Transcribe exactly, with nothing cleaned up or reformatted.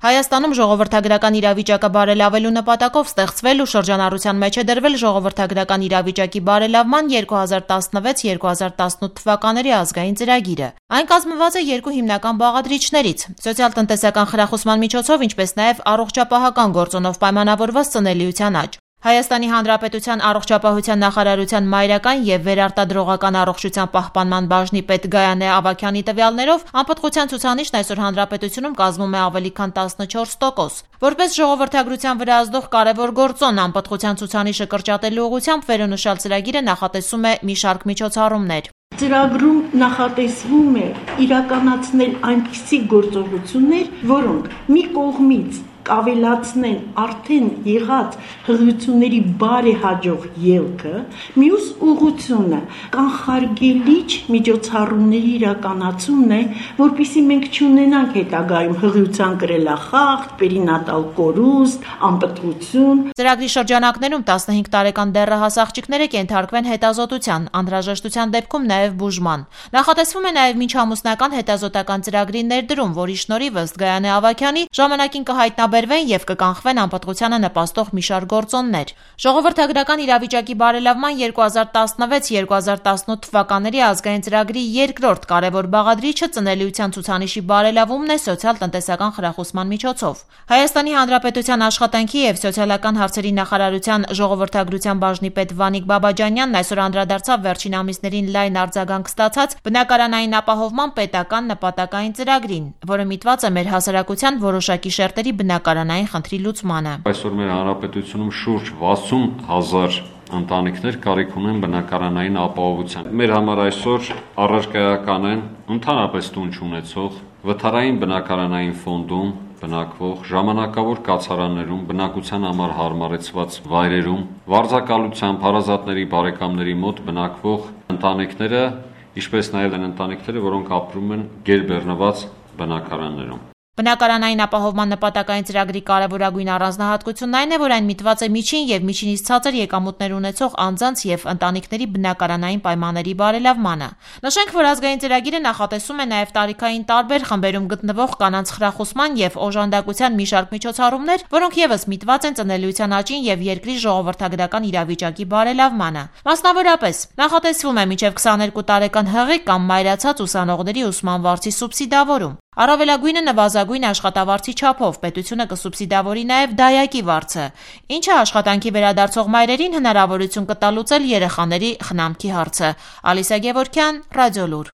Հայաստանում ժողովրդագրական իրավիճակը բարելավելու նպատակով ստեղծվել ու շրջանառության մեջ է դրվել ժողովրդագրական իրավիճակի բարելավման երկու հազար տասնվեց - երկու հազար տասնութ թվականների ազգային ծրագիրը։ Այն կազմված է երկու հիմնական բաղադրիչներից՝ սոցիալ-տնտեսական խրախուսման միջոցով, ինչպես նաև առողջապահական գործոնով պայմանավորված ծնելիության աճ։ Հայաստանի Հանրապետության առողջապահության նախարարության մայրական և վերարտադրողական առողջության պահպանման բաժնի պետ Գայանե Ավագյանի տվյալներով անպտղության ցուցանիշն այսօր հանրապետությունում կազմում է ավելի քան տասնչորս տոկոս։ Որպես ժողովրդագրության վրա ազդող կարևոր գործոն անպտղության ցուցանիշը կրճատելու ուղղությամբ վերոնշյալ ծրագիրը նախատեսում է մի շարք միջոցառումներ։ Ծրագրում նախատեսվում է իրականացնել այնպիսի գործողություններ, որոնք մի կողմից կավելացնեն արդեն եղած հղիությունների բարեհաջող ելքը, մյուս ուղղությունը կանխարգելիչ միջոցառումների իրականացումն է, որպեսզի մենք չունենանք հետագայում հղիության կրելախախտ, պերինատալ կորուստ, անպտղություն։ Ծրագրի շրջանակներում տասնհինգ տարեկան դեռահաս աղջիկները կենթարկվեն հետազոտության, անհրաժեշտության դեպքում նաև բուժման։ Նախատեսվում է նաև մինչամուսնական հետազոտական ծրագրի ներդրում, որի շնորհիվ ըստ Գայանե Ավագյանի ժամանակին կհայտնաբերվեն և կկանխվեն անպտղությանը նպաստող մի շարք գործոններ։ Ժողովրդագրական իրավիճակի բարելավման երկու հազար տասնվեց - երկու հազար տասնութ թվականների ազգային ծրագրի երկրորդ կարևոր բաղադրիչը ծնելիության ցուցանիշի բարելավումն է սոցիալ-տնտեսական խրախուսման միջոցով։ Հայաստանի Հանրապետության աշխատանքի և սոցիալական հարցերի նախարարության ժողովրդագրության բաժնի պետ Վանիկ Բաբաջանյանն այսօր անդրադարձավ վերջին ամիսներին լայն արձագանք ստացած բնակարանային ապահովման պետական նպատակային ծրագրին, որը միտված է մեր հասարակության որոշակի շերտերի բնակարանային խնդրի լուծմանը։ Այսօր մեր հանրապետությունում շուրջ վաթսուն հազար ընտանիքներ կարիք ունեն բնակարանային ապահովության։ Մեր համար այսօր առարկայական են ընդհանրապես տուն չունեցող, վթարային բնակարանային ֆոնդում բնակվող, ժամանակավոր կացարաններում, բնակության համար հարմարեցված վայրերում, վարձակալությամբ հարազատների բարեկամների մոտ բնակվող ընտանիքները, ինչպես նաև այն ընտանիքները, որոնք ապրում են գերբեռնված բնակարաններում։ Բնակարանային ապահովման նպատակային ծրագրի կարևորագույն առանձնահատկությունն այն է, որ այն միտված է միջին և միջինից ցածր եկամուտներ ունեցող անձանց և ընտանիքների բնակարանային պայմանների բարելավմանը։ Նշենք, որ ազգային ծրագիրը նախատեսում է նաև տարիքային տարբեր խմբերում գտնվող կանանց խրախուսման և օժանդակության մի շարք միջոցառումներ, որոնք ևս միտված են ծնելիության աճին և երկրի ժողովրդագրական իրավիճակի բարելավմանը։ Մասնավորապես, նախատեսվում է մինչև քսաներկու տարեկան հղի կամ մայրացած ուսանողների ուսման վարձի սուբսիդավորում։ Առավելագույնը նվազագույն աշխատավարձի չափով պետությունը կսուբսիդավորի նաև դայակի վարձը, ինչը աշխատանքի վերադարձող մայրերին հնարավորություն կտա լուծել երեխաների խնամքի հարցը։ Ալիսա Գևորգյան, Ռադիոլուր։